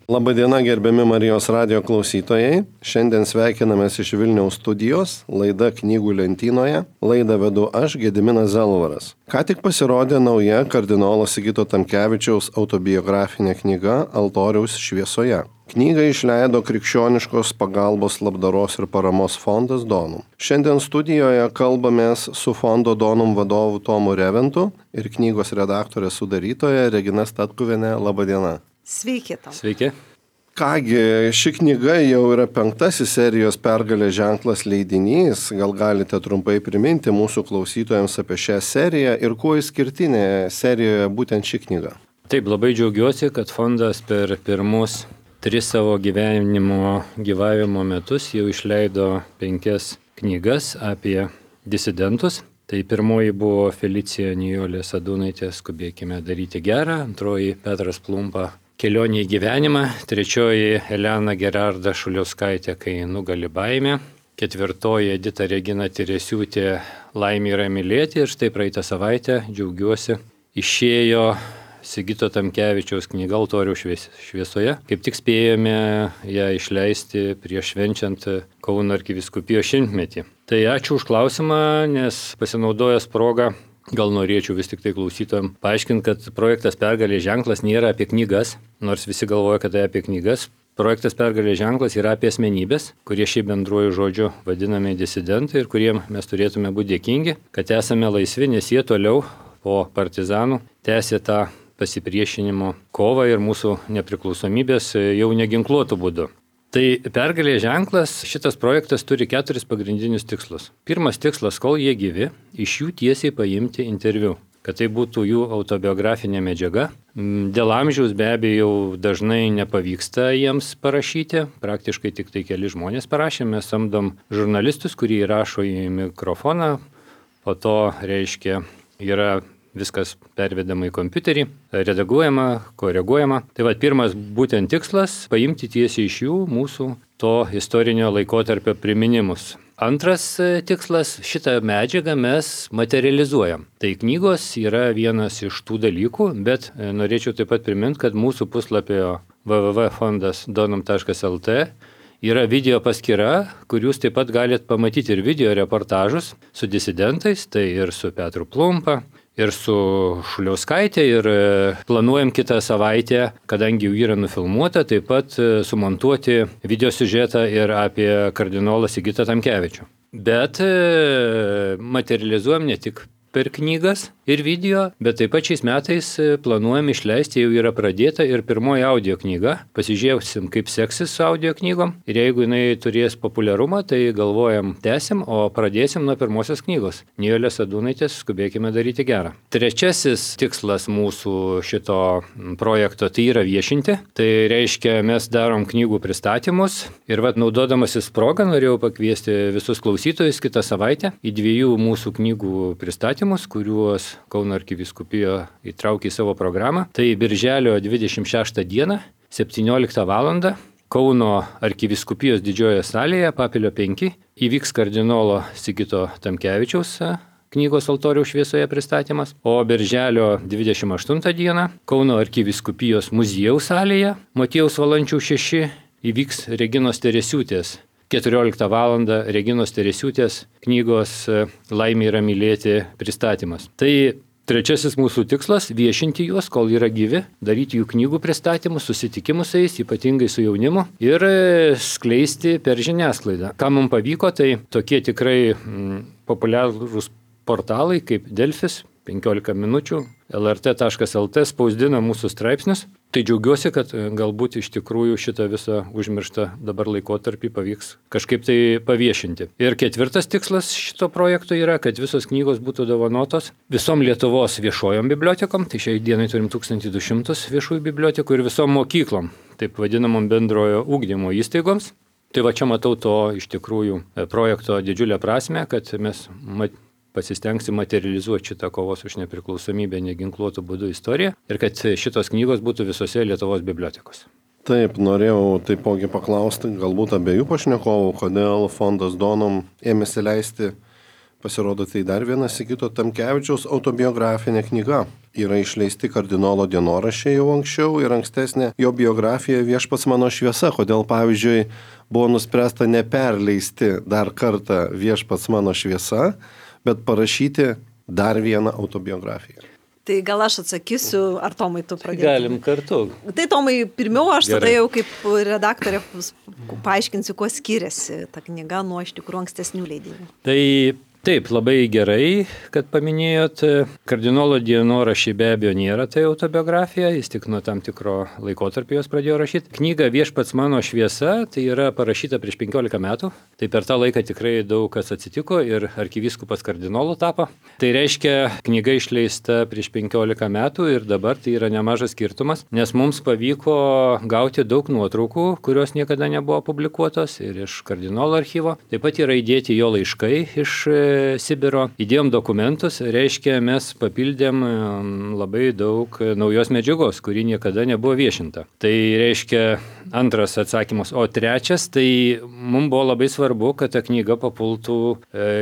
Labadiena, gerbiami Marijos radijo klausytojai. Šiandien sveikinamės iš Vilniaus studijos, laida Knygų lentynoje. Laidą vedu aš, Gediminas Zelvaras. Ką tik pasirodė nauja kardinolo Sigito Tamkevičiaus autobiografinė knyga Altoriaus šviesoje. Knygą išleido Krikščioniškos pagalbos labdaros ir paramos fondas Donum. Šiandien studijoje kalbamės su fondo Donum vadovu Tomu Reventu ir knygos redaktorė sudarytoja Regina Statkuvienė. Labadiena. Sveiki, Tom. Sveiki. Kągi, ši knyga jau yra 5. serijos Pergalės ženklas leidinys. Gal galite trumpai priminti mūsų klausytojams apie šią seriją ir kuo išskirtinė serijoje būtent ši knyga? Taip, labai džiaugiuosi, kad fondas per pirmus 3 savo gyvavimo metus jau išleido 5 knygas apie disidentus. Tai pirmoji buvo Felicija Nijolė Sadūnaitė Skubėkime daryti gerą, antroji Petras Plumpa Kelionė į gyvenimą, trečioji Elena Gerarda Šuliauskaitė Kai nugali baimė, ketvirtoji Edita Regina Teresiūtė Laimė yra mylėti ir štai praeitą savaitę džiaugiuosi išėjo Sigito Tamkevičiaus knyga Altoriaus šviesoje. Kaip tik spėjome ją išleisti prieš švenčiant Kauno arkivyskupijos 100-metį. Tai ačiū už klausimą, nes pasinaudojęs progą gal norėčiau vis tik tai klausytojams paaiškinti, kad projektas Pergalės ženklas nėra apie knygas, nors visi galvoja, kad tai apie knygas. Projektas Pergalės ženklas yra apie asmenybės, kurie šiaip bendruoju žodžiu vadinami disidentai ir kuriem mes turėtume būti dėkingi, kad esame laisvi, nes jie toliau po partizanų tęsė tą pasipriešinimo kovą ir mūsų nepriklausomybės jau neginkluotų būdu. Tai Pergalės ženklas, šitas projektas turi 4 pagrindinius tikslus. Pirmas tikslas, kol jie gyvi, iš jų tiesiai paimti interviu, kad tai būtų jų autobiografinė medžiaga. Dėl amžiaus be abejo dažnai nepavyksta jiems parašyti, praktiškai tik tai keli žmonės parašė, mes samdom žurnalistus, kurie įrašo į mikrofoną, po to reiškia yra viskas pervedama į kompiuterį, redaguojama, koreguojama. Tai pirmas būtent tikslas - paimti tiesiai iš jų mūsų to istorinio laikotarpio priminimus. Antras tikslas - šitą medžiagą mes materializuojam. Tai knygos yra vienas iš tų dalykų, bet norėčiau taip pat priminti, kad mūsų puslapio www.fondasdonum.lt yra video paskyra, kur jūs taip pat galite pamatyti ir video reportažus su disidentais, tai ir su Petru Plumpa, ir su Šuliauskaitė, ir planuojam kitą savaitę, kadangi jau yra nufilmuota, taip pat sumontuoti video siužetą ir apie kardinolą Sigitą Tamkevičių. Bet materializuojam ne tik per knygas ir video, bet taip pat šiais metais planuojam išleisti, jau yra pradėta ir pirmoji audio knyga. Pasižiūrėsim, kaip seksis su audio knygom ir jeigu jinai turės populiarumą, tai galvojam tęsim, o pradėsim nuo pirmosios knygos. Nijolės Sadūnaitės Skubėkime daryti gerą. Trečiasis tikslas mūsų šito projekto tai yra viešinti. Tai reiškia, mes darom knygų pristatymus ir naudodamasis progą norėjau pakviesti visus klausytojus kitą savaitę į 2 mūsų knygų pristatymus, kuriuos Kauno arkivyskupija įtraukė į savo programą. Tai birželio 26 dieną, 17 val. Kauno arkivyskupijos didžiojoje salėje, Papilio 5, įvyks kardinolo Sigito Tamkevičiaus knygos Altoriaus šviesoje pristatymas. O birželio 28 dieną Kauno arkivyskupijos muziejaus salėje, Motiejaus Valančiaus 6, įvyks Reginos Teresiūtės 14 val. Reginos Teresiūtės knygos Laimė yra mylėti pristatymas. Tai trečiasis mūsų tikslas - viešinti juos, kol yra gyvi, daryti jų knygų pristatymus, susitikimus su jais, ypatingai su jaunimu ir skleisti per žiniasklaidą. Ką mums pavyko, tai tokie tikrai populiarūs portalai kaip Delfis, 15 minučių, lrt.lt spausdina mūsų straipsnius. Tai džiaugiuosi, kad galbūt iš tikrųjų šitą visą užmirštą dabar laikotarpį pavyks kažkaip tai paviešinti. Ir ketvirtas tikslas šito projekto yra, kad visos knygos būtų dovanotos visom Lietuvos viešojom bibliotekom, tai šiai dienai turim 1200 viešųjų bibliotekų ir visom mokyklom, taip vadinamom bendrojo ugdymo įstaigoms. Tai čia matau to iš tikrųjų projekto didžiulę prasmę, kad mes pasistengsim materializuoti šitą kovos už nepriklausomybę neginkluotų būdų istoriją ir kad šitos knygos būtų visose Lietuvos bibliotekose. Taip, norėjau taipogi paklausti galbūt abiejų pašnekovų, kodėl fondas Donum ėmėsi leisti Pasirodo, tai dar viena Sigito Tamkevičiaus autobiografinė knyga. Yra išleisti kardinolo dienoraščiai jau anksčiau ir ankstesnė jo biografija Viešpats mano šviesa. Kodėl, pavyzdžiui, buvo nuspręsta neperleisti dar kartą Viešpats mano šviesa, bet parašyti dar vieną autobiografiją. Tai gal aš atsakysiu, ar Tomai tu pradėtum? Galim kartu. Tai Tomai, pirmiau aš Gerai. tada jau kaip redaktorė paaiškinsiu, kuo skiriasi ta knyga nuo iš tikrųjų ankstesnių leidinių. Tai taip, labai gerai, kad paminėjot. Kardinolo dienoraščiai be abejo nėra tai autobiografija, jis tik nuo tam tikro laikotarpio jos pradėjo rašyti. Knyga Viešpats mano šviesa, tai yra parašyta prieš 15 metų. Tai per tą laiką tikrai daug kas atsitiko ir arkivyskupas kardinolu tapo. Tai reiškia, knyga išleista prieš 15 metų ir dabar tai yra nemažas skirtumas, nes mums pavyko gauti daug nuotraukų, kurios niekada nebuvo publikuotos ir iš kardinolo archyvo. Taip pat yra įdėti jo laiškai iš Sibiro. Įdėjom dokumentus, reiškia, mes papildėm labai daug naujos medžiagos, kuri niekada nebuvo viešinta. Tai reiškia antras atsakymas. O trečias, tai mums buvo labai svarbu, kad ta knyga papultų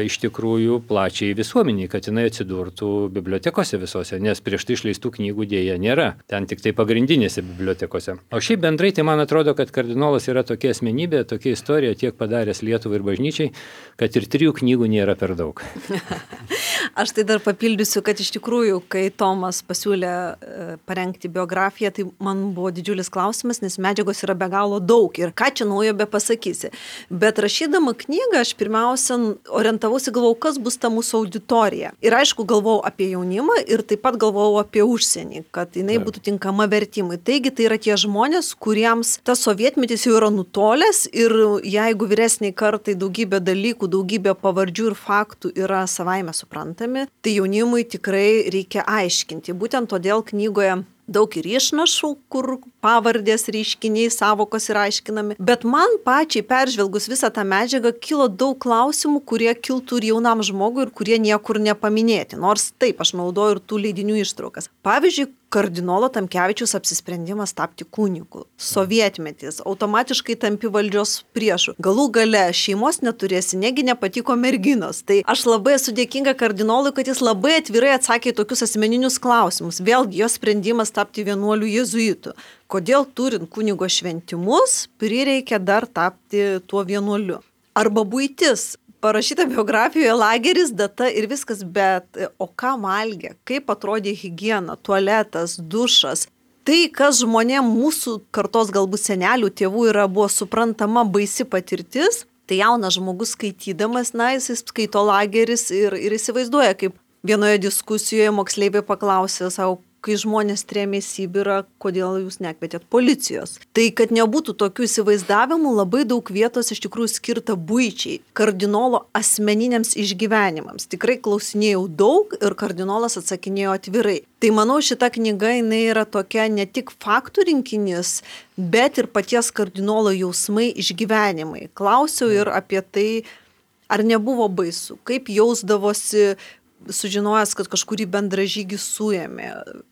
iš tikrųjų plačiai visuomeniai, kad jinai atsidurtų bibliotekose visose, nes prieš tai išleistų knygų dėja nėra. Ten tik tai pagrindinėse bibliotekose. O šiaip bendrai, tai man atrodo, kad kardinolas yra tokia asmenybė, tokia istorija tiek padaręs Lietuvai ir bažnyčiai, kad ir 3 knygų nėra per daug. Aš tai dar papildysiu, kad iš tikrųjų, kai Tomas pasiūlė parengti biografiją, tai man buvo didžiulis klausimas, nes medžiagos yra be galo daug ir ką čia naujo be pasakysi. Bet rašydama knygą, aš pirmiausia orientavausi, galvojau, kas bus ta mūsų auditorija. Ir aišku, galvojau apie jaunimą ir taip pat galvojau apie užsienį, kad jinai būtų tinkama vertimui. Taigi tai yra tie žmonės, kuriems tas sovietmetis jau yra nutolęs ir jeigu vyresniai kartai daugybė dalykų, daugybė pavardžių ir faktų yra savaime suprantami, tai jaunimui tikrai reikia aiškinti. Būtent todėl knygoje daug ir išnašų, kur pavardės, reiškiniai, savokos yra aiškinami. Bet man pačiai peržvelgus visą tą medžiagą kilo daug klausimų, kurie kiltų ir jaunam žmogui ir kurie niekur nepaminėti. Nors taip, aš naudoju ir tų leidinių ištraukas. Pavyzdžiui, kardinolo Tamkevičiaus apsisprendimas tapti kunigu. Sovietmetis, automatiškai tampi valdžios priešu. Galų gale šeimos neturėsi, negi nepatiko merginos. Tai aš labai esu dėkinga kardinolui, kad jis labai atvirai atsakė į tokius asmeninius klausimus. Vėlgi, jo sprendimas tapti vienuoliu jėzuitu. Kodėl turint kunigo šventimus, prireikia dar tapti tuo vienuoliu. Arba buitis. Parašyta biografijoje lageris, data ir viskas, bet o ką valgė, kaip atrodė higiena, tualetas, dušas. Tai, kas žmonėm mūsų kartos galbūt senelių, tėvų buvo suprantama baisi patirtis, tai jaunas žmogus skaitydamas, jis skaito lageris ir įsivaizduoja, kaip vienoje diskusijoje moksleiviai paklausė savo, kai žmonės trėmė į Sibirą, kodėl jūs nekvietėt policijos. Tai, kad nebūtų tokių įsivaizdavimų, labai daug vietos iš tikrųjų skirta buičiai, kardinolo asmeniniams išgyvenimams. Tikrai klausinėjau daug ir kardinolas atsakinėjo atvirai. Tai manau, šita knyga jinai yra tokia ne tik faktų rinkinys, bet ir paties kardinolo jausmai, išgyvenimai. Klausiau ir apie tai, ar nebuvo baisu, kaip jausdavosi sužinojęs, kad kažkurį bendražygį suėmė.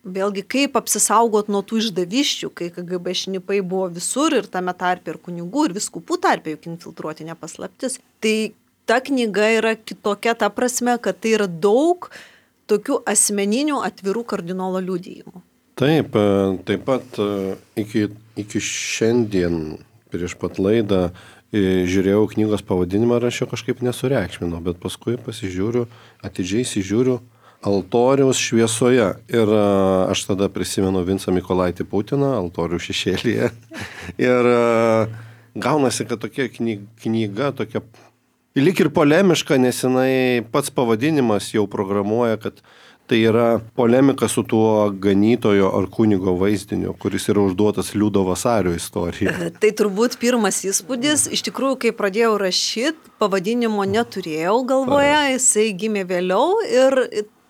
Vėlgi, kaip apsisaugot nuo tų išdaviščių, kai KGB šnipai buvo visur ir tame tarpe ir kunigų, ir viskupų tarpe, juk infiltruoti nepaslaptis. Tai ta knyga yra kitokia ta prasme, kad tai yra daug tokių asmeninių atvirų kardinolo liudijimų. Taip pat iki šiandien prieš pat laidą žiūrėjau knygos pavadinimą ir aš jo kažkaip nesureikšminau, bet paskui atidžiai įsižiūriu Altoriaus šviesoje. Ir aš tada prisimenu Vincą Mykolaitį Putiną, Altorių šešėlyje. Ir gaunasi, kad tokia knyga, tokia lyg ir polemiška, nes jinai pats pavadinimas jau programuoja, kad tai yra polemika su tuo ganytojo ar kunigo vaizdiniu, kuris yra užduotas Liudo Vasario istorija. Tai turbūt pirmas įspūdis, iš tikrųjų, kai pradėjau rašyti, pavadinimo neturėjau galvoje, jisai gimė vėliau ir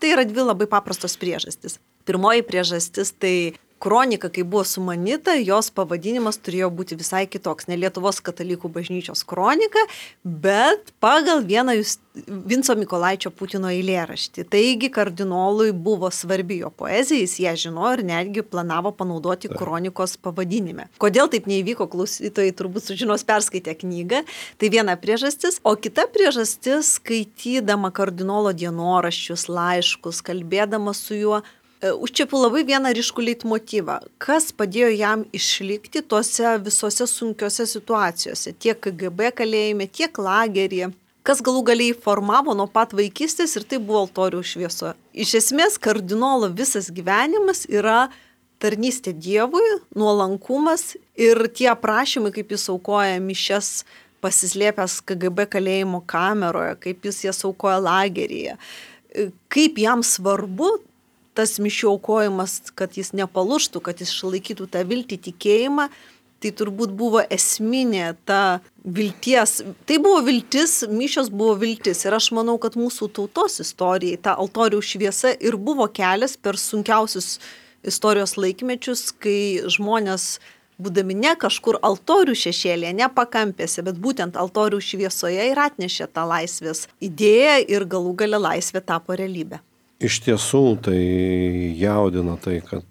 tai yra 2 labai paprastos priežastys. Pirmoji priežastis tai kronika, kai buvo sumanyta, jos pavadinimas turėjo būti visai kitoks. Ne Lietuvos katalikų bažnyčios kronika, bet pagal vieną Vinco Mykolaičio Putino eilėraštį. Taigi kardinolui buvo svarbi jo poezija, jis ją žinojo ir netgi planavo panaudoti kronikos pavadinime. Kodėl taip neįvyko, klausytojai turbūt sužinos perskaitę knygą. Tai viena priežastis. O kita priežastis, skaitydama kardinolo dienoraščius, laiškus, kalbėdama su juo, užčiapiu labai vieną ryškų leitmotyvą. Kas padėjo jam išlikti tose visose sunkiose situacijose, tiek KGB kalėjime, tiek lageryje. Kas galų galiai formavo nuo pat vaikystės ir tai buvo altorių šviesoje. Iš esmės, kardinolo visas gyvenimas yra tarnystė Dievui, nuolankumas ir tie aprašymai, kaip jis aukoja mišias pasislėpęs KGB kalėjimo kameroje, kaip jis jas aukoja lageryje, kaip jam svarbu tas mišių aukojimas, kad jis nepalūžtų, kad jis išlaikytų tą viltį, tikėjimą, tai turbūt buvo esminė ta vilties. Tai buvo viltis, mišios buvo viltis. Ir aš manau, kad mūsų tautos istorijai ta altorių šviesa ir buvo kelias per sunkiausius istorijos laikmečius, kai žmonės, būdami ne kažkur altorių šešėlėje, ne pakampėse, bet būtent altorių šviesoje ir atnešė tą laisvės idėją ir galų gale laisvė tapo realybė. Iš tiesų tai jaudina tai, kad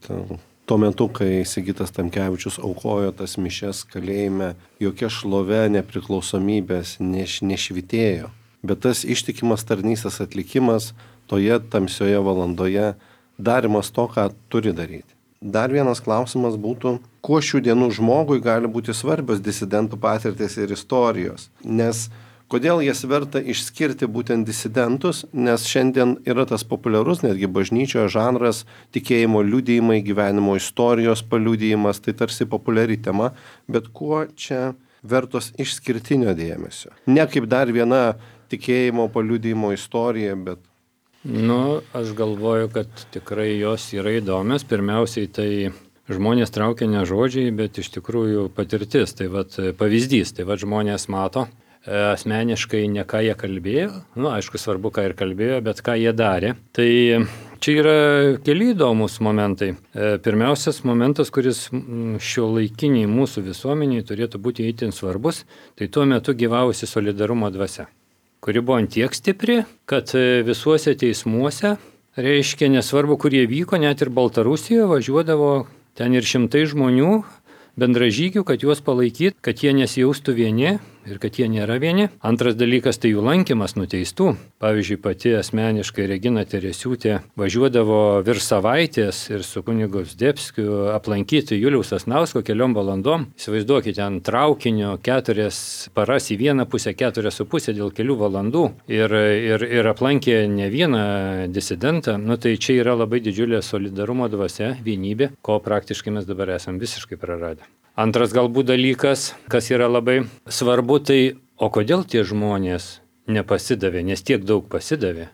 tuo metu, kai Sigitas Tamkevičius aukojo tas mišias kalėjime, jokia šlovė nepriklausomybės nešvitėjo. Bet tas ištikimas tarnystės atlikimas toje tamsioje valandoje, darimas to, ką turi daryti. Dar vienas klausimas būtų, kuo šių dienų žmogui gali būti svarbios disidentų patirtys ir istorijos. Nes kodėl jas verta išskirti būtent disidentus, nes šiandien yra tas populiarus netgi bažnyčioje žanras tikėjimo liudijimai, gyvenimo istorijos paliudijimas, tai tarsi populiari tema, bet kuo čia vertos išskirtinio dėmesio? Ne kaip dar viena tikėjimo paliudijimo istorija, bet... Aš galvoju, kad tikrai jos yra įdomios. Pirmiausiai tai žmonės traukia ne žodžiai, bet iš tikrųjų patirtis, tai pavyzdys, tai žmonės mato. Asmeniškai ne ką jie kalbėjo, aišku svarbu, ką ir kalbėjo, bet ką jie darė. Tai čia yra keli įdomus momentai. Pirmiausias momentas, kuris šiuolaikiniai mūsų visuomeniai turėtų būti itin svarbus, tai tuo metu gyvavusi solidarumo dvasia, kuri buvo antiek stipri, kad visuose teismuose, reiškia nesvarbu, kur jie vyko, net ir Baltarusijoje važiuodavo ten ir šimtai žmonių, bendražygių, kad juos palaikyt, kad jie nesijaustų vieni ir kad jie nėra vieni. Antras dalykas tai jų lankymas nuteistų. Pavyzdžiui, pati asmeniškai Regina Teresiūtė važiuodavo virš savaitės ir su kunigu Zdebskiu aplankyti Juliaus Sasnausko keliom valandom. Įsivaizduokite, ten traukinio 4 paras į vieną pusę, 4,5 dėl kelių valandų ir aplankė ne vieną disidentą. Tai čia yra labai didžiulė solidarumo dvasia, vienybė, ko praktiškai mes dabar esam visiškai praradę. Antras galbūt dalykas, kas yra labai svarbu, tai o kodėl tie žmonės nepasidavė, nes tiek daug pasidavė,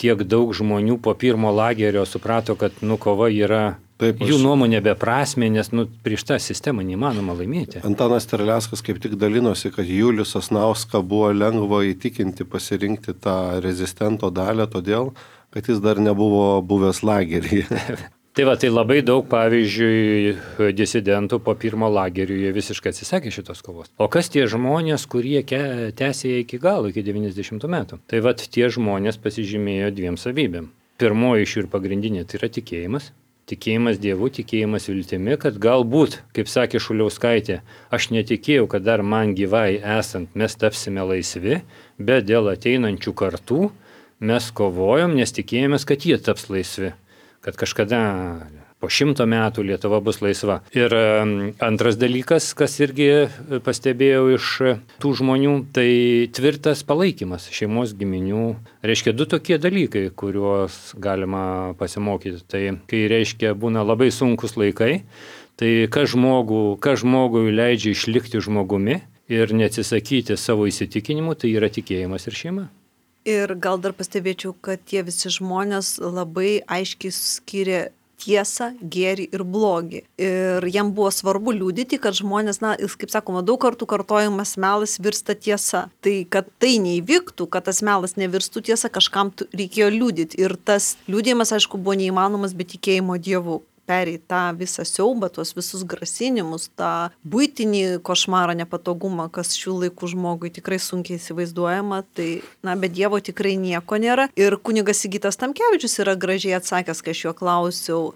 tiek daug žmonių po pirmo lagerio suprato, kad kova yra jų nuomonė beprasmė, nes prieš tą sistemą neįmanoma laimėti. Antanas Terleckas kaip tik dalinosi, kad Julius Sasnauską buvo lengva įtikinti pasirinkti tą rezistento dalį, todėl, kad jis dar nebuvo buvęs lageryje. Tai labai daug, pavyzdžiui, disidentų po pirmo lagerio jie visiškai atsisakė šitos kovos. O kas tie žmonės, kurie tęsė iki galo, iki 90 metų? Tai tie žmonės pasižymėjo 2 savybėm. Pirmoji iš jų ir pagrindinė tai yra tikėjimas. Tikėjimas Dievu, tikėjimas viltimi, kad galbūt, kaip sakė Šuliauskaitė, aš netikėjau, kad dar man gyvai esant mes tapsime laisvi, bet dėl ateinančių kartų mes kovojom, nes tikėjomės, kad jie taps laisvi. Kad kažkada po 100 metų Lietuva bus laisva. Ir antras dalykas, kas irgi pastebėjau iš tų žmonių, tai tvirtas palaikymas šeimos giminių. Reiškia 2 tokie dalykai, kuriuos galima pasimokyti. Tai kai reiškia būna labai sunkus laikai, tai kas žmogui leidžia išlikti žmogumi ir neatsisakyti savo įsitikinimų, tai yra tikėjimas ir šeima. Ir gal dar pastebėčiau, kad tie visi žmonės labai aiškiai skiria tiesą, gėrį ir blogį. Ir jam buvo svarbu liudyti, kad žmonės, kaip sakoma, daug kartų kartojamas melas virsta tiesa. Tai kad tai neįvyktų, kad tas melas nevirstų tiesa, kažkam reikėjo liudyti. Ir tas liudijimas, aišku, buvo neįmanomas be tikėjimo Dievu. perėjai tą visą siaubą, tuos visus grasinimus, tą buitinį košmarą, nepatogumą, kas šių laikų žmogui tikrai sunkiai įsivaizduojama, tai, be Dievo tikrai nieko nėra. Ir kunigas Sigitas Tamkevičius yra gražiai atsakęs, kai aš jo klausiau,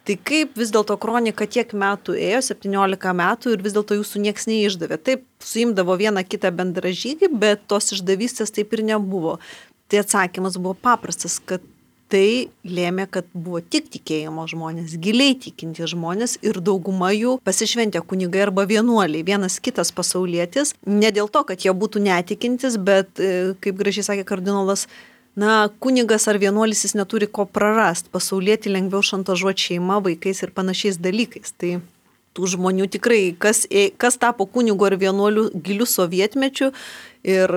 tai kaip vis dėlto kronika tiek metų ėjo, 17 metų ir vis dėlto jūsų nieks neišdavė. Taip, suimdavo vieną kitą bendražygį, bet tos išdavystės taip ir nebuvo. Tai atsakymas buvo paprastas, kad tai lėmė, kad buvo tik tikėjimo žmonės, giliai tikinti žmonės ir dauguma jų pasišventė kunigai arba vienuoliai, vienas kitas pasaulietis, ne dėl to, kad jie būtų netikintis, bet, kaip gražiai sakė kardinolas, kunigas ar vienuolis jis neturi ko prarast, pasaulietį lengviau šantažuoti šeima, vaikais ir panašiais dalykais. Tai tų žmonių tikrai, kas tapo kunigu ar vienuoliu giliu sovietmečiu ir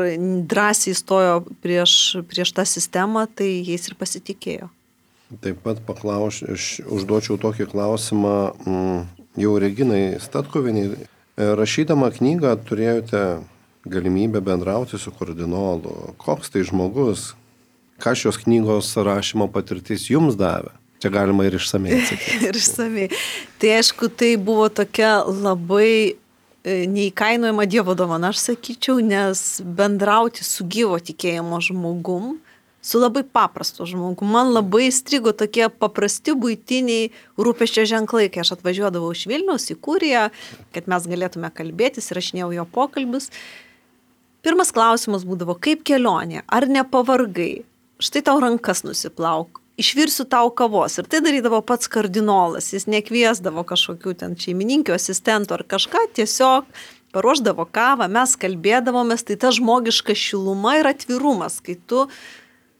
drąsiai stojo prieš tą sistemą, tai jais ir pasitikėjo. Taip pat užduočiau tokį klausimą jau Reginai Statkuvienei. Rašydama knygą turėjote galimybę bendrauti su kardinolu. Koks tai žmogus? Ką šios knygos rašymo patirtis jums davė? Čia galima ir išsamei atsakyti. Ir išsamei. Tai aišku, tai buvo tokia labai neįkainojama Dievo dovana, aš sakyčiau, nes bendrauti su gyvo tikėjimo žmogum, su labai paprastu žmogum. Man labai strigo tokie paprasti buitiniai rūpesčio ženklai, kai aš atvažiuodavau iš Vilniaus į Kuriją, kad mes galėtume kalbėtis, rašinėjau jo pokalbius. Pirmas klausimas būdavo, kaip kelionė, ar nepavargai? Štai tau rankas nusiplauk, išvirsiu tau kavos. Ir tai darydavo pats kardinolas, jis nekviesdavo kažkokių ten šeimininkių, asistentų ar kažką, tiesiog paruošdavo kavą, mes kalbėdavomės, tai ta žmogiška šiluma ir atvirumas, kai tu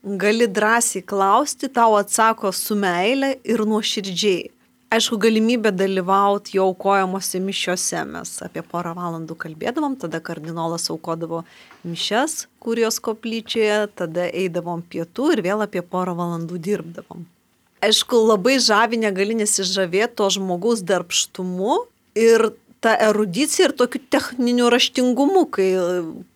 gali drąsiai klausti, tau atsako su meile ir nuoširdžiai. Aišku, galimybė dalyvauti jo aukojamose mišiose, mes apie 1 valandų kalbėdavom, tada kardinolas aukodavo mišias Kurijos koplyčioje, tada eidavom pietų ir vėl apie 1 valandų dirbdavom. Aišku, labai žavi negali nesižavėti to žmogaus darbštumu ir ta erudicija ir tokiu techniniu raštingumu, kai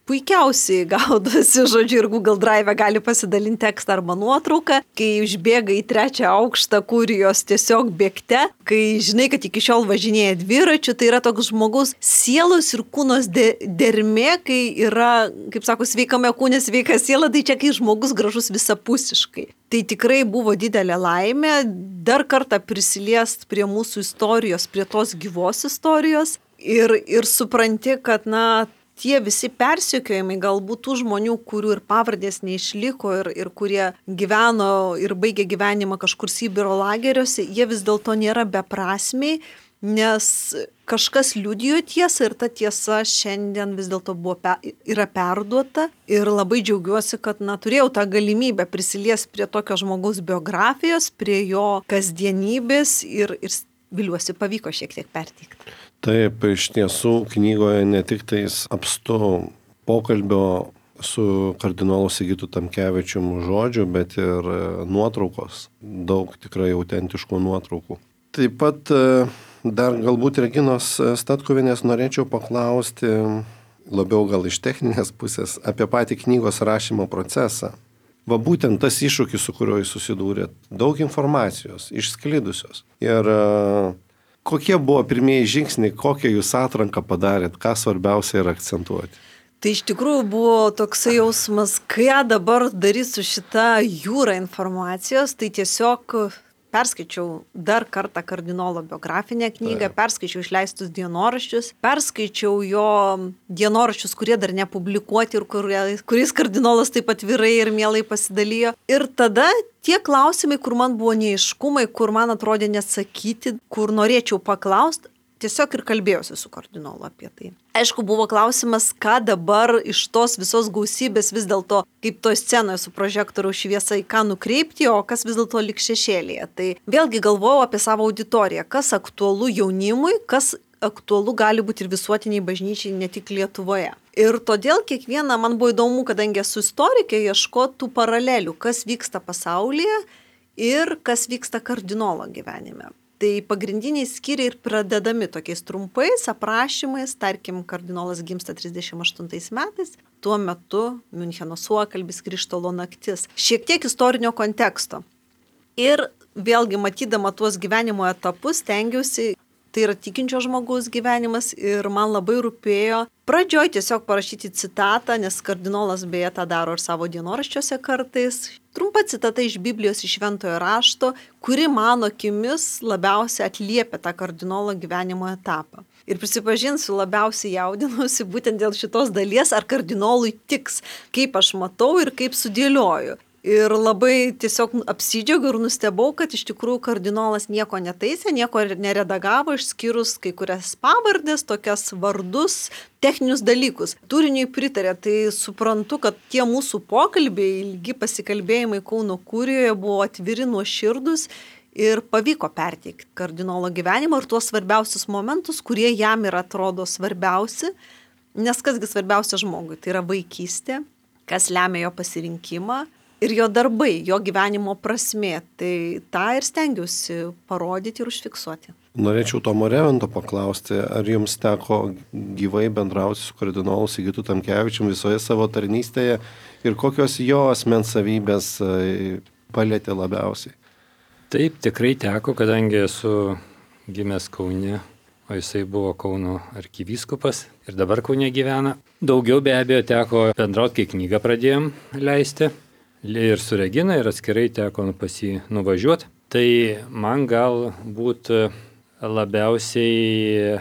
puikiausiai gaudosi, žodžiu, ir Google Drive gali pasidalinti tekstą arba nuotrauką, kai užbėga į 3 aukštą Kurijos tiesiog bėgte, kai žinai, kad iki šiol važinėja dviračiu, tai yra toks žmogaus sielos ir kūnos dermė, kai yra, kaip sako, sveikame kūne, sveika siela, tai čia kai žmogus gražus visapusiškai. Tai tikrai buvo didelė laimė dar kartą prisiliest prie mūsų istorijos, prie tos gyvos istorijos ir supranti, kad, tie visi persekiojimai galbūt tų žmonių, kurių ir pavardės neišliko ir kurie gyveno ir baigė gyvenimą kažkur Sibiro lageriuose, jie vis dėlto nėra beprasmiai, nes kažkas liudijo tiesą ir ta tiesa šiandien vis dėlto yra perduota ir labai džiaugiuosi, kad turėjau tą galimybę prisiliesti prie tokio žmogaus biografijos, prie jo kasdienybės ir viliuosi pavyko šiek tiek perteikti. Taip, iš tiesų knygoje ne tik tais apstu pokalbio su kardinolu Sigitu Tamkevičium žodžiu, bet ir nuotraukos, daug tikrai autentiškų nuotraukų. Taip pat dar galbūt Reginos Statkuvienės norėčiau paklausti, labiau gal iš techninės pusės, apie patį knygos rašymo procesą. Va būtent tas iššūkis, su kuriuo jūs susidūrėt, daug informacijos, išsklidusios. Ir kokie buvo pirmieji žingsniai, kokią jūs atranką padarėt, ką svarbiausia yra akcentuoti? Tai iš tikrųjų buvo toksai jausmas, ką dabar daryti su šita jūra informacijos, tai tiesiog perskaičiau dar kartą kardinolo biografinę knygą, perskaičiau išleistus dienoraščius, perskaičiau jo dienoraščius, kurie dar nepublikuoti ir kuriais kardinolas taip atvirai ir mielai pasidalijo. Ir tada tie klausimai, kur man buvo neaiškumai, kur man atrodė neatsakyti, kur norėčiau paklausti, tiesiog ir kalbėjausi su kardinolu apie tai. Aišku, buvo klausimas, ką dabar iš tos visos gausybės vis dėlto, kaip toj scenoje su prožektoriaus šviesa, į ką nukreipti, o kas vis dėlto lik šešėlėje. Tai vėlgi galvojau apie savo auditoriją, kas aktualu jaunimui, kas aktualu gali būti ir visuotiniai bažnyčiai, ne tik Lietuvoje. Ir todėl kiekvieną, man buvo įdomu, kadangi esu istorikė, ieškoti tų paralelių, kas vyksta pasaulyje ir kas vyksta kardinolo gyvenime. Tai pagrindiniai skyriai ir pradedami tokiais trumpais aprašymais, tarkim, kardinolas gimsta 38 metais, tuo metu Miuncheno suokalbis, Krištolo naktis, šiek tiek istorinio konteksto. Ir vėlgi matydama tuos gyvenimo etapus, stengiausi, tai yra tikinčio žmogaus gyvenimas ir man labai rūpėjo pradžioj tiesiog parašyti citatą, nes kardinolas beje tą daro ir savo dienoraščiuose kartais. Trumpa citata iš Biblijos, iš Šventojo rašto, kuri mano akimis labiausiai atliepia tą kardinolo gyvenimo etapą. Ir prisipažinsiu, labiausiai jaudinusi būtent dėl šitos dalies, ar kardinolui tiks, kaip aš matau ir kaip sudėlioju. Ir labai tiesiog apsidžiaugiau ir nustebau, kad iš tikrųjų kardinolas nieko netaisė, nieko neredagavo, išskyrus kai kurias pavardės, tokias vardus, techninius dalykus. Turiniui pritarė, tai suprantu, kad tie mūsų pokalbiai, ilgi pasikalbėjimai Kauno kurijoje buvo atviri, nuoširdus ir pavyko perteikti kardinolo gyvenimą ir tuos svarbiausius momentus, kurie jam yra atrodo svarbiausi, nes kasgi svarbiausia žmogui, tai yra vaikystė, kas lemia jo pasirinkimą. Ir jo darbai, jo gyvenimo prasmė, tai tą ir stengiausi parodyti ir užfiksuoti. Norėčiau Tomo Revento paklausti, ar jums teko gyvai bendrauti su kardinolu Sigitu Tamkevičiumi visoje savo tarnystėje ir kokios jo asmens savybės palietė labiausiai? Taip, tikrai teko, kadangi esu gimęs Kaune, o jisai buvo Kauno arkivyskupas ir dabar Kaune gyvena. Daugiau be abejo teko bendrauti, kai knygą pradėjom leisti. Ir su Regina, ir atskirai teko pas jį nuvažiuoti. Tai man galbūt labiausiai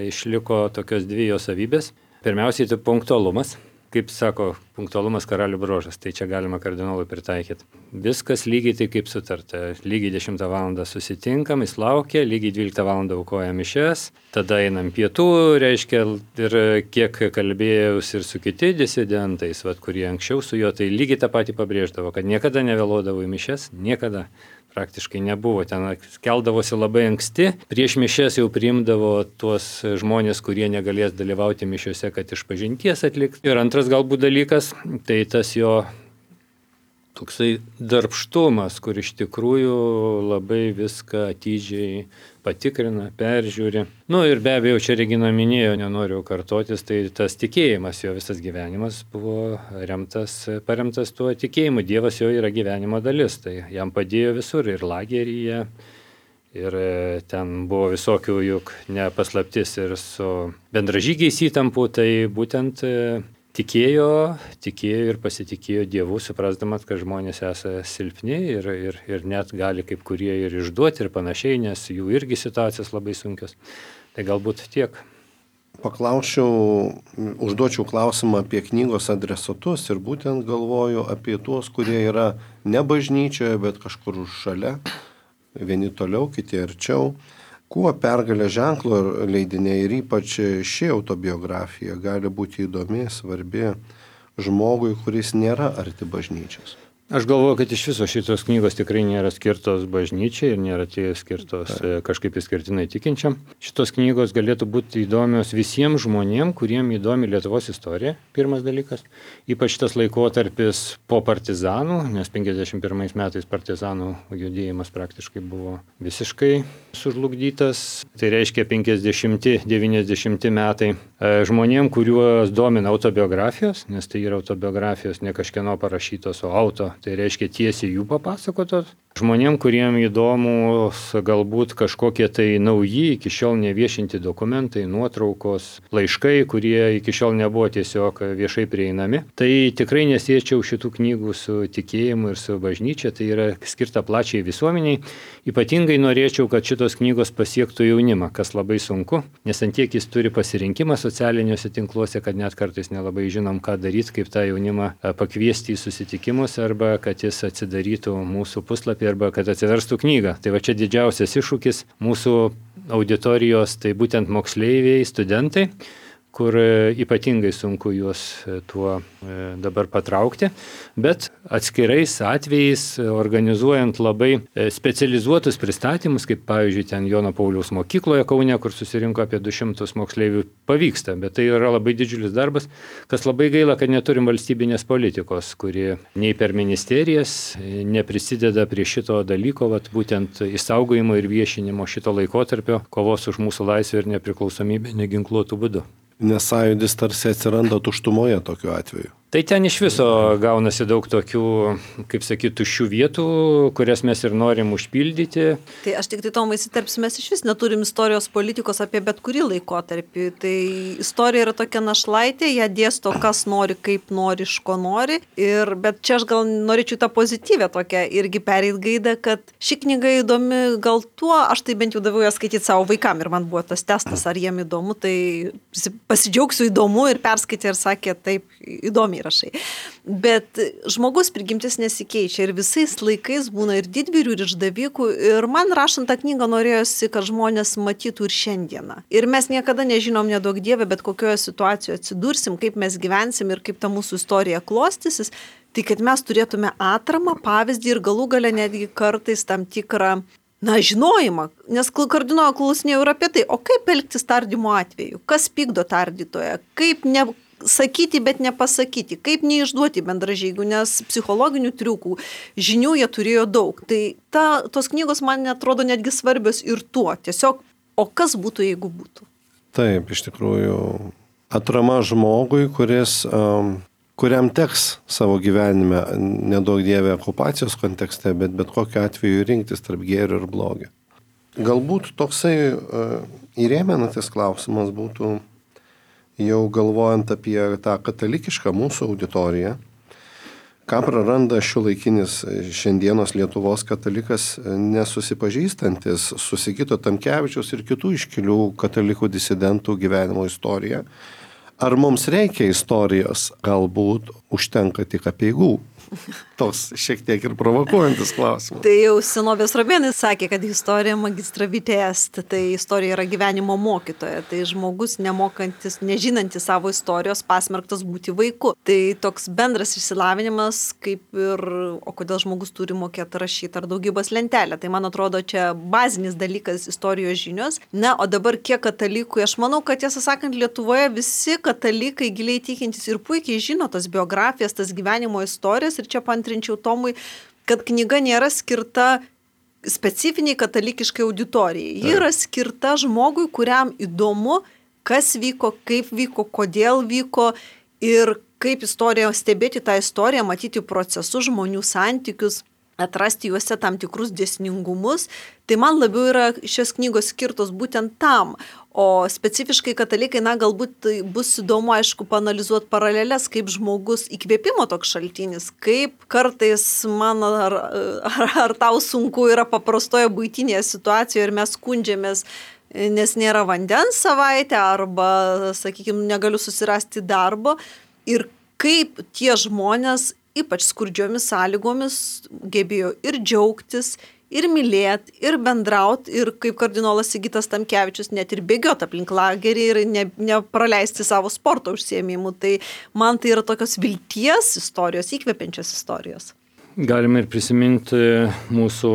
išliko tokios dvi jo savybės. Pirmiausiai tai punktualumas. Kaip sako, punktualumas karalių bruožas, tai čia galima kardinolui pritaikyti. Viskas lygiai tai kaip sutarta. Lygiai 10 val. Susitinkam, jis laukia, lygiai 12 val. Aukoja mišias, tada einam pietų, reiškia, ir kiek kalbėjus ir su kiti disidentais, kurie anksčiau su juo, tai lygiai tą patį pabrėždavo, kad niekada nevėluodavo į mišias, niekada. Praktiškai nebuvo, ten keldavosi labai anksti, prieš mišias jau priimdavo tuos žmonės, kurie negalės dalyvauti mišiuose, kad išpažinties atlikti. Ir antras galbūt dalykas, tai tas jo toksai darbštumas, kur iš tikrųjų labai viską atidžiai patikrina, peržiūri. Ir be abejo, čia Regina minėjo, nenoriu kartotis, tai tas tikėjimas, jo visas gyvenimas buvo paremtas tuo tikėjimu. Dievas jo yra gyvenimo dalis, tai jam padėjo visur ir lageryje, ir ten buvo visokių, juk nepaslaptis ir su bendražygiais įtampų, tai būtent tikėjo ir pasitikėjo Dievu, suprasdamas, kad žmonės esą silpni ir net gali kaip kurie ir išduoti ir panašiai, nes jų irgi situacijos labai sunkios. Tai galbūt tiek. Užduočiau klausimą apie knygos adresatus ir būtent galvoju apie tuos, kurie yra ne bažnyčioje, bet kažkur šalia, vieni toliau, kiti arčiau. Kuo Pergalės ženklo leidiniai ir ypač ši autobiografija gali būti įdomi, svarbi žmogui, kuris nėra arti bažnyčios? Aš galvoju, kad iš viso šitos knygos tikrai nėra skirtos bažnyčiai ir nėra skirtos kažkaip išskirtinai tikinčiam. Šitos knygos galėtų būti įdomios visiems žmonėms, kuriem įdomi Lietuvos istorija, pirmas dalykas. Ypač šitas laikotarpis po partizanų, nes 51 metais partizanų judėjimas praktiškai buvo visiškai sužlugdytas. Tai reiškia 50-90 metai. Žmonėms, kuriuos domina autobiografijos, nes tai yra autobiografijos ne kažkieno parašytos, o auto. Tai reiškia tiesiai jų papasakotos. Žmonėm, kuriem įdomus galbūt kažkokie tai nauji, iki šiol neviešinti dokumentai, nuotraukos, laiškai, kurie iki šiol nebuvo tiesiog viešai prieinami. Tai tikrai nesiečiau šitų knygų su tikėjimu ir su bažnyčia, tai yra skirta plačiai visuomeniai. Ypatingai norėčiau, kad šitos knygos pasiektų jaunimą, kas labai sunku, nes antiek jis turi pasirinkimą socialiniuose tinkluose, kad net kartais nelabai žinom, ką daryti, kaip tą jaunimą pakviesti į susitikimus arba kad jis atsidarytų mūsų puslapį arba kad atsiverstų knygą. Tai va čia didžiausias iššūkis mūsų auditorijos, tai būtent moksleiviai, studentai, kur ypatingai sunku juos tuo dabar patraukti, bet atskirais atvejais organizuojant labai specializuotus pristatymus, kaip pavyzdžiui ten Jono Pauliaus mokykloje Kaune, kur susirinko apie 200 moksleivių, pavyksta, bet tai yra labai didžiulis darbas, kas labai gaila, kad neturim valstybinės politikos, kuri nei per ministerijas neprisideda prie šito dalyko, būtent išsaugojimo ir viešinimo šito laikotarpio, kovos už mūsų laisvę ir nepriklausomybę neginkluotų būdų. Nes sąjūdis tarsi atsiranda tuštumoje tokiu atveju. Tai ten iš viso gaunasi daug tokių, kaip sakyti, tuščių vietų, kurias mes ir norim užpildyti. Tai aš tik tai Tomai įsiterpsiu, mes iš vis neturim istorijos politikos apie bet kurį laikotarpį. Tai istorija yra tokia našlaitė, ją dėsto kas nori, kaip nori, iš ko nori. Bet čia aš gal norėčiau tą pozityvę tokią irgi pereit gaidą, kad ši knyga įdomi gal tuo, aš tai bent jau daviau ją skaityti savo vaikam ir man buvo tas testas, ar jiem įdomu, tai pasidžiaugsiu įdomu ir perskaitė ir sakė, taip, įdomiai rašai. Bet žmogus prigimtis nesikeičia ir visais laikais būna ir didvyrių, ir išdavikų. Ir man rašant tą knygą norėjosi, kad žmonės matytų ir šiandieną. Ir mes niekada nežinom, nedaug dievė, bet kokioje situacijoje atsidursim, kaip mes gyvensim ir kaip ta mūsų istorija klostysis. Tai kad mes turėtume atramą, pavyzdį ir galų gale netgi kartais tam tikrą žinojimą. Nes kardinolo klausinėjau ir apie tai, o kaip elgtis tardymo atveju? Kas pykdo tardytoją? Kaip sakyti, bet nepasakyti, kaip neišduoti bendražygių, nes psichologinių triukų, žinių jie turėjo daug. Tai tos knygos man atrodo netgi svarbios ir tuo. Tiesiog, o kas būtų, jeigu būtų? Taip, iš tikrųjų, atrama žmogui, kuriam teks savo gyvenime, nedaug dievė okupacijos kontekste, bet kokiu atveju rinktis tarp gėrio ir blogio. Galbūt toksai įrėmenantis klausimas būtų, jau galvojant apie tą katalikišką mūsų auditoriją, ką praranda šiuolaikinis šiandienos Lietuvos katalikas nesusipažįstantis su Sigito Tamkevičiaus ir kitų iškilių katalikų disidentų gyvenimo istoriją. Ar mums reikia istorijos? Galbūt užtenka tik apeigų. Toks šiek tiek ir provokuojantis klausimas. Tai jau senovės romėnai sakė, kad istorija magistra vitae est, tai istorija yra gyvenimo mokytoja. Tai žmogus nemokantis, nežinantis savo istorijos pasmerktas būti vaiku. Tai toks bendras išsilavinimas, kaip ir, o kodėl žmogus turi mokėti rašyti ar daugybos lentelę. Tai man atrodo, čia bazinis dalykas istorijos žinios. O dabar kiek katalikų, aš manau, kad tiesą sakant, Lietuvoje visi katalikai giliai tikintis ir puikiai žino tas biografijas, tas gyvenimo istorijas. Ir čia paantrinčiau Tomui, kad knyga nėra skirta specifiniai katalikiškai auditorijai. Ji yra skirta žmogui, kuriam įdomu, kas vyko, kaip vyko, kodėl vyko ir kaip istorija, stebėti tą istoriją, matyti procesus, žmonių santykius, atrasti juose tam tikrus dėsningumus. Tai man labiau yra šios knygos skirtos būtent tam. O specifiškai katalikai, galbūt bus įdomu, aišku, paanalizuoti paralelės, kaip žmogus įkvėpimo toks šaltinis, kaip kartais man ar tau sunku yra paprastoje buitinėje situacijoje ir mes skundžiamės, nes nėra vandens savaitę arba, sakykime, negaliu susirasti darbo. Ir kaip tie žmonės, ypač skurdžiomis sąlygomis, gebėjo ir džiaugtis, ir mylėti, ir bendrauti, ir kaip kardinolas Sigitas Tamkevičius, net ir bėgioti aplink lagerį ir nepraleisti savo sporto užsiėmimų. Tai man tai yra tokios vilties istorijos, įkvepiančios istorijos. Galime ir prisiminti mūsų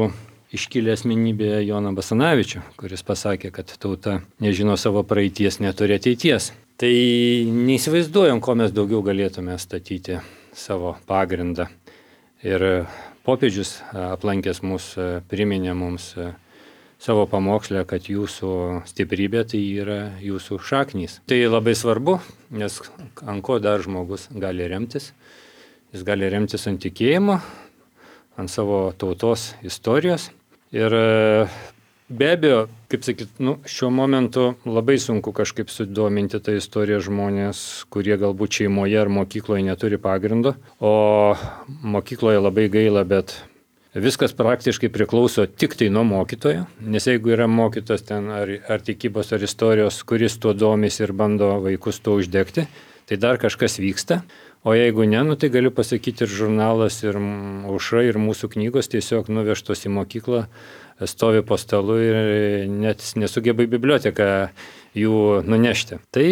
iškilę asmenybę Joną Basanavičių, kuris pasakė, kad tauta nežino savo praeities, neturi ateities. Tai neįsivaizduojam, ko mes daugiau galėtume statyti savo pagrindą. Ir popiežius aplankęs mus priminė mums savo pamokslę, kad jūsų stiprybė tai yra jūsų šaknys. Tai labai svarbu, nes ant ko dar žmogus gali remtis. Jis gali remtis ant tikėjimo, ant savo tautos istorijos. Ir be abejo, kaip sakyt, šiuo momentu labai sunku kažkaip sudominti tą istoriją žmonės, kurie galbūt šeimoje ar mokykloje neturi pagrindo, o mokykloje labai gaila, bet viskas praktiškai priklauso tik tai nuo mokytojo, nes jeigu yra mokytas ten ar tikybos ar istorijos, kuris tuo domisi ir bando vaikus tuo uždegti, tai dar kažkas vyksta. O jeigu ne, tai galiu pasakyti ir žurnalas, ir Aušra, ir mūsų knygos tiesiog nuvežtos į mokyklą, stovi po stalu ir net nesugeba į biblioteką jų nunešti. Tai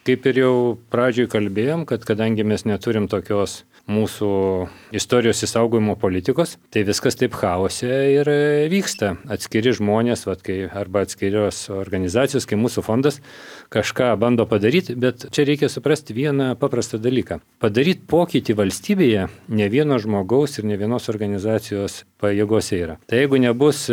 kaip ir jau pradžioj kalbėjom, kad kadangi mes neturim tokios mūsų istorijos išsaugojimo politikos, tai viskas taip chaose ir vyksta. Atskiri žmonės, arba atskirios organizacijos, kai mūsų fondas kažką bando padaryti, bet čia reikia suprasti vieną paprastą dalyką. Padaryti pokytį valstybėje ne vieno žmogaus ir ne vienos organizacijos pajėgose yra. Tai jeigu nebus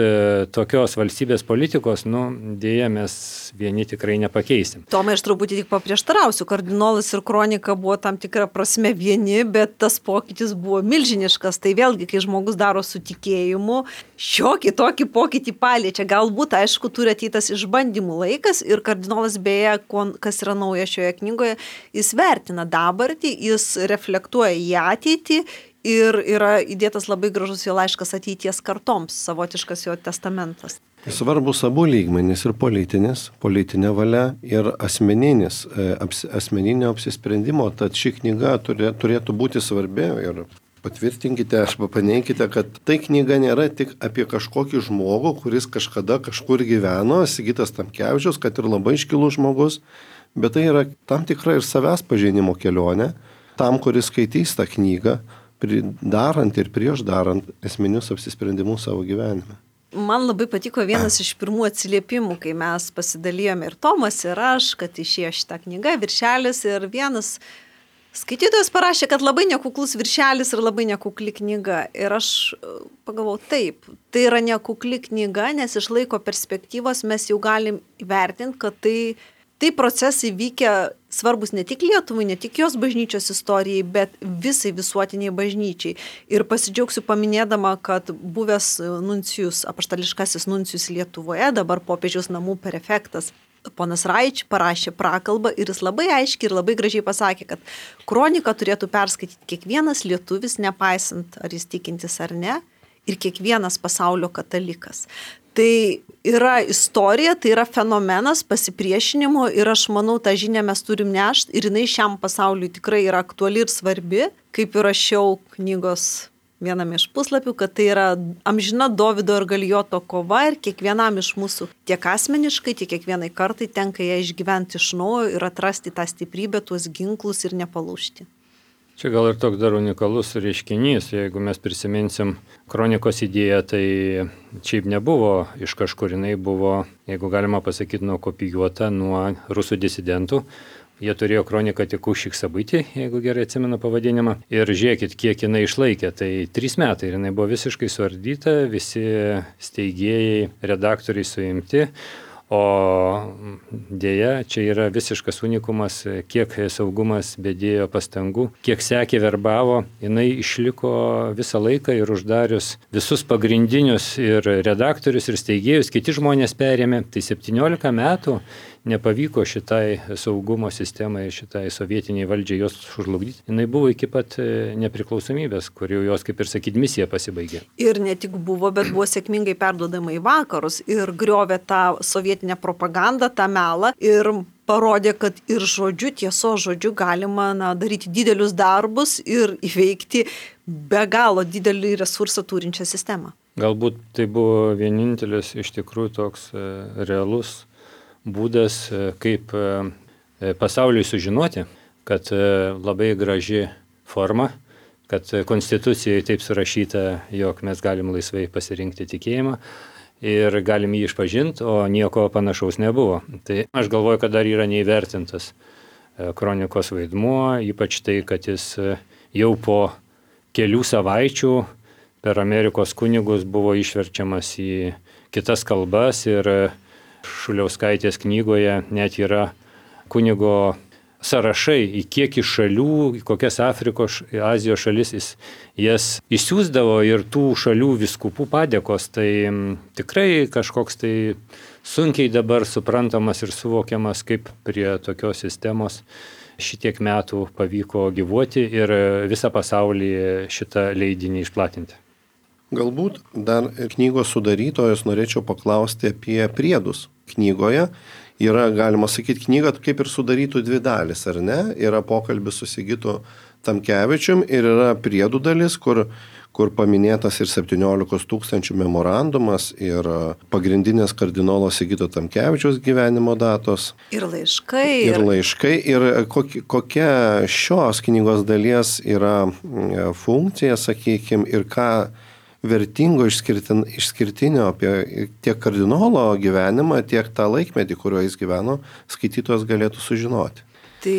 tokios valstybės politikos, dėja mes vieni tikrai nepakeisim. Tomai, aš truputį tik neprieštarausiu, kardinolas ir kronika buvo tam tikra prasme vieni, bet tas pokytis buvo milžiniškas. Tai vėlgi, kai žmogus daro su tikėjimu, šiokį tokį pokytį paliečia. Galbūt, aišku, turi ateitas išbandymų laikas ir kardinolas beje, kas yra nauja šioje knygoje, jis vertina dabartį, jis reflektuoja į ateitį. Ir yra įdėtas labai gražus jo laiškas ateities kartoms, savotiškas jo testamentas. Svarbus abu lygmenys ir politinė valia ir asmeninio apsisprendimo, tad ši knyga turėtų būti svarbi ir patvirtinkite arba paneikite, kad tai knyga nėra tik apie kažkokį žmogų, kuris kažkada kažkur gyveno, Sigitas Tamkevičius, kad ir labai iškilus žmogus, bet tai yra tam tikra ir savęs pažinimo kelionė, tam, kuris skaitys tą knygą, darant ir prieš darant esminius apsisprendimus savo gyvenime. Man labai patiko vienas iš pirmų atsiliepimų, kai mes pasidalijome ir Tomas, ir aš, kad išėjo šitą knygą, viršelis, ir vienas skaitytojas parašė, kad labai nekuklus viršelis ir labai nekukli knyga. Ir aš pagalvojau, taip, tai yra nekukli knyga, nes iš laiko perspektyvos mes jau galim įvertinti, kad tai procesai vykę svarbus ne tik Lietuvai, ne tik jos bažnyčios istorijai, bet visai visuotiniai bažnyčiai. Ir pasidžiaugsiu paminėdama, kad buvęs nuncijus, apaštališkasis nuncijus Lietuvoje, dabar popiežiaus namų prefektas, ponas Raič parašė prakalbą ir jis labai aiškiai ir labai gražiai pasakė, kad kroniką turėtų perskaityti kiekvienas lietuvis, nepaisant ar jis tikintis ar ne, ir kiekvienas pasaulio katalikas. Tai yra istorija, tai yra fenomenas pasipriešinimo ir aš manau, tą žinią mes turim nešti ir jinai šiam pasauliui tikrai yra aktuali ir svarbi, kaip ir rašiau knygos viename iš puslapių, kad tai yra amžina Dovydo ir Galijoto kova ir kiekvienam iš mūsų tiek asmeniškai, tiek kiekvienai kartai tenka ją išgyventi iš naujo ir atrasti tą stiprybę, tuos ginklus ir nepalūžti. Čia gal ir toks dar unikalus reiškinys, jeigu mes prisiminsim kronikos idėją, tai šiaip nebuvo iš kažkur, jinai buvo, jeigu galima pasakyti, nukopijuota nuo rusų disidentų. Jie turėjo kroniką tik už Šiksabaitį, jeigu gerai atsimenu pavadinimą. Ir žiūrėkit, kiek jinai išlaikė. Tai 3 metai ir jinai buvo visiškai suardyta, visi steigėjai, redaktoriai suimti. O dėja, čia yra visiškas unikumas, kiek saugumas bedėjo pastangų, kiek sekė verbavo, jinai išliko visą laiką ir uždarius visus pagrindinius ir redaktorius ir steigėjus, kiti žmonės perėmė, tai 17 metų nepavyko šitai saugumo sistemai, šitai sovietiniai valdžiai jos sužlugdyti. Jinai buvo iki pat nepriklausomybės, kur jau jos, kaip ir sakyt, misija pasibaigė. Ir ne tik buvo, bet buvo sėkmingai perduodama į vakarus ir griovė tą sovietinę propagandą, tą melą ir parodė, kad ir žodžiu, tiesos žodžiu galima daryti didelius darbus ir įveikti be galo didelį resursą turinčią sistemą. Galbūt tai buvo vienintelis iš tikrųjų toks realus būdas, kaip pasauliui sužinoti, kad labai graži forma, kad konstitucijoje taip surašyta, jog mes galim laisvai pasirinkti tikėjimą ir galim jį išpažinti, o nieko panašaus nebuvo. Tai aš galvoju, kad dar yra neįvertintas kronikos vaidmuo, ypač tai, kad jis jau po kelių savaičių per Amerikos kunigus buvo išverčiamas į kitas kalbas ir Šuliauskaitės knygoje net yra kunigo sąrašai, į kiek iš šalių, į kokias Afrikos, Azijos šalis jis jas išsiųsdavo ir tų šalių vyskupų padėkos. Tai tikrai kažkoks tai sunkiai dabar suprantamas ir suvokiamas, kaip prie tokios sistemos šitiek metų pavyko gyvuoti ir visą pasaulį šitą leidinį išplatinti. Galbūt dar knygos sudarytojos norėčiau paklausti apie priedus. Knygoje yra, galima sakyti, knyga kaip ir sudarytų 2 dalis, ar ne? Yra pokalbis su Sigitu Tamkevičium ir yra priedų dalis, kur paminėtas ir 17 000 memorandumas ir pagrindinės kardinolo Sigito Tamkevičiaus gyvenimo datos. Ir laiškai. Ir laiškai. Ir kokia šios knygos dalies yra funkcija, sakykime, ir ką vertingo išskirtinio apie tiek kardinolo gyvenimą, tiek tą laikmetį, kuriuo jis gyveno, skaitytojas galėtų sužinoti. Tai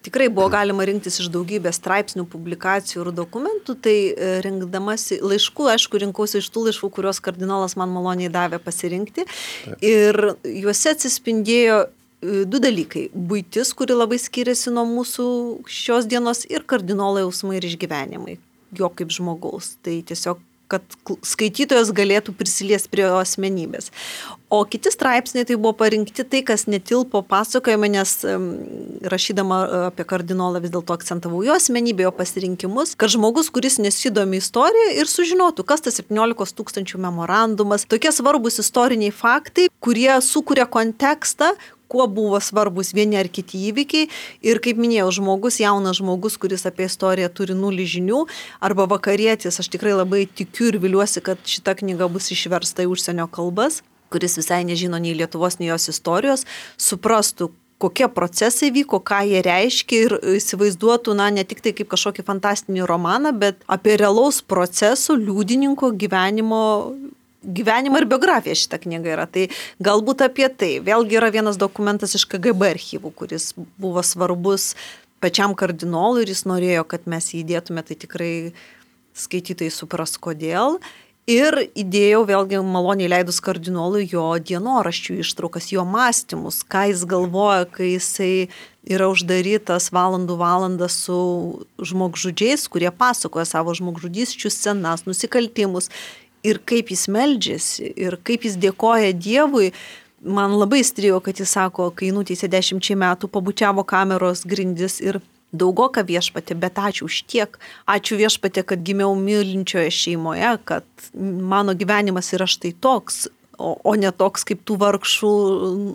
tikrai buvo galima rinktis iš daugybės straipsnių, publikacijų ir dokumentų, tai rinkdamasi laiškų, aišku, rinkausi iš tų laiškų, kuriuos kardinolas man maloniai davė pasirinkti. Ir juose atsispindėjo du dalykai. Buitis, kuri labai skiriasi nuo mūsų šios dienos, ir kardinolo jausmai ir išgyvenimai, jo kaip žmogaus. Tai tiesiog, kad skaitytojas galėtų prisiliesti prie jo asmenybės. O kiti straipsniai tai buvo parinkti tai, kas netilpo pasakojime, nes rašydama apie kardinolą vis dėlto akcentavau jo asmenybę, jo pasirinkimus, kad žmogus, kuris nesidomi istoriją ir sužinotų, kas tas 17 000 memorandumas, tokie svarbus istoriniai faktai, kurie sukuria kontekstą, kuo buvo svarbus vieni ar kiti įvykiai. Ir kaip minėjau, žmogus, jaunas žmogus, kuris apie istoriją turi 0 žinių, arba vakarietis, aš tikrai labai tikiu ir viliuosi, kad šita knyga bus išversta į užsienio kalbas, kuris visai nežino nei Lietuvos, nei jos istorijos, suprastų, kokie procesai vyko, ką jie reiškia ir įsivaizduotų, ne tik tai kaip kažkokį fantastinį romaną, bet apie realaus proceso, liudininko gyvenimą ir biografiją šitą knygą yra. Tai galbūt apie tai. Vėlgi yra vienas dokumentas iš KGB archyvų, kuris buvo svarbus pačiam kardinolui ir jis norėjo, kad mes jį įdėtume, tai tikrai skaitytojai supras kodėl. Ir įdėjau vėlgi maloniai leidus kardinolui jo dienoraščių ištraukas, jo mąstymus, ką jis galvoja, kai jisai yra uždarytas valandų su žmogžudžiais, kurie pasakoja savo žmogžudysčių scenas, nusikaltimus. Ir kaip jis meldžiasi, ir kaip jis dėkoja Dievui. Man labai įstrigo, kad jis sako, kai nuteisė 10 metų, pabučiavo kameros grindis ir daugoka viešpatė, bet ačiū už tiek. Ačiū viešpatė, kad gimiau mylinčioje šeimoje, kad mano gyvenimas yra štai toks, o ne toks kaip tų vargšų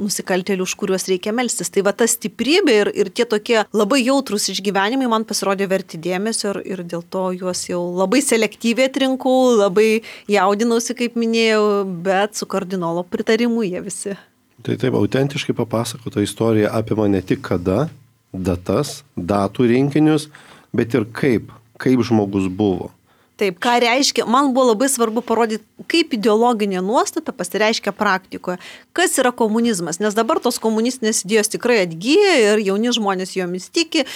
nusikaltėlių, už kuriuos reikia melstis. Tai va ta stiprybė ir tie tokie labai jautrus išgyvenimai man pasirodė verti dėmesio ir dėl to juos jau labai selektyviai atrinkau, labai jaudinausi, kaip minėjau, bet su kardinolo pritarimu jie visi. Tai taip, autentiškai papasakota istorija apima ne tik kada, datas, datų rinkinius, bet ir kaip žmogus buvo. Taip, ką reiškia, man buvo labai svarbu parodyti, kaip ideologinė nuostata pasireiškia praktikoje. Kas yra komunizmas, nes dabar tos komunistinės idėjos tikrai atgyja ir jauni žmonės jomis tiki.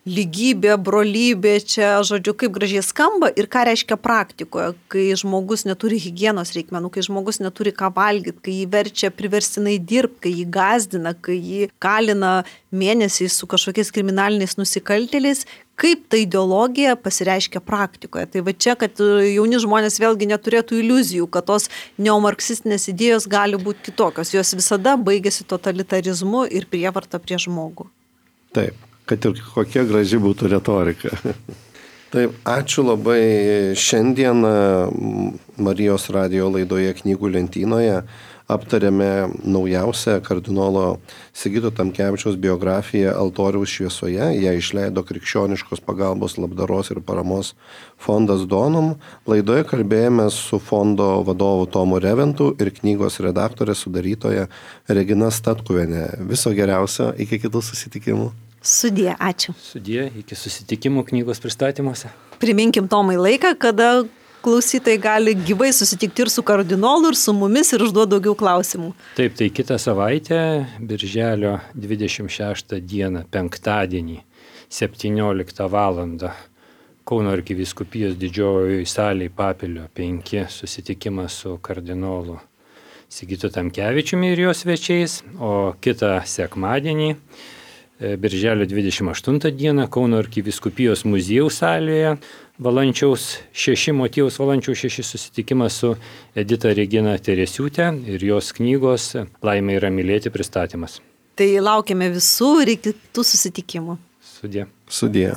Lygybė, brolybė, čia, žodžiu, kaip gražiai skamba ir ką reiškia praktikoje, kai žmogus neturi higienos reikmenų, kai žmogus neturi ką valgyti, kai jį verčia priverstinai dirbti, kai jį gazdina, kai jį kalina mėnesiais su kažkokiais kriminaliniais nusikaltėliais, kaip ta ideologija pasireiškia praktikoje. Tai va čia, kad jauni žmonės vėlgi neturėtų iliuzijų, kad tos neomarksistinės idėjos gali būti kitokios, jos visada baigėsi totalitarizmu ir prievarta prie žmogų. Taip. Kad ir kokia graži būtų retorika. Taip, ačiū labai. Šiandien Marijos radijo laidoje Knygų lentynoje aptarėme naujausią kardinolo Sigito Tamkevičiaus biografiją Altoriaus šviesoje. Ją išleido Krikščioniškos pagalbos, labdaros ir paramos fondas Donum. Laidoje kalbėjome su fondo vadovu Tomu Reventu ir knygos redaktorė sudarytoja Regina Statkuvienė. Viso geriausio, iki kitų susitikimų. Sudie, ačiū. Sudie, iki susitikimų knygos pristatymuose. Priminkim Tomai laiką, kada klausytojai gali gyvai susitikti ir su kardinolu, ir su mumis, ir užduoti daugiau klausimų. Taip, tai kitą savaitę, birželio 26 dieną, penktadienį, 17 val. Kauno arkivyskupijos didžiojoje salėje Papilio 5 susitikimas su kardinolu Sigitu Tamkevičiumi ir jo svečiais, o kitą sekmadienį, birželio 28 dieną Kauno arkivyskupijos muziejaus salėje Valančiaus 6, Motiejaus Valančiaus 6 susitikimas su Edita Regina Teresiūtė ir jos knygos Laimė yra mylėti pristatymas. Tai laukiame visų ir iki kitų susitikimų. Sudie. Sudie.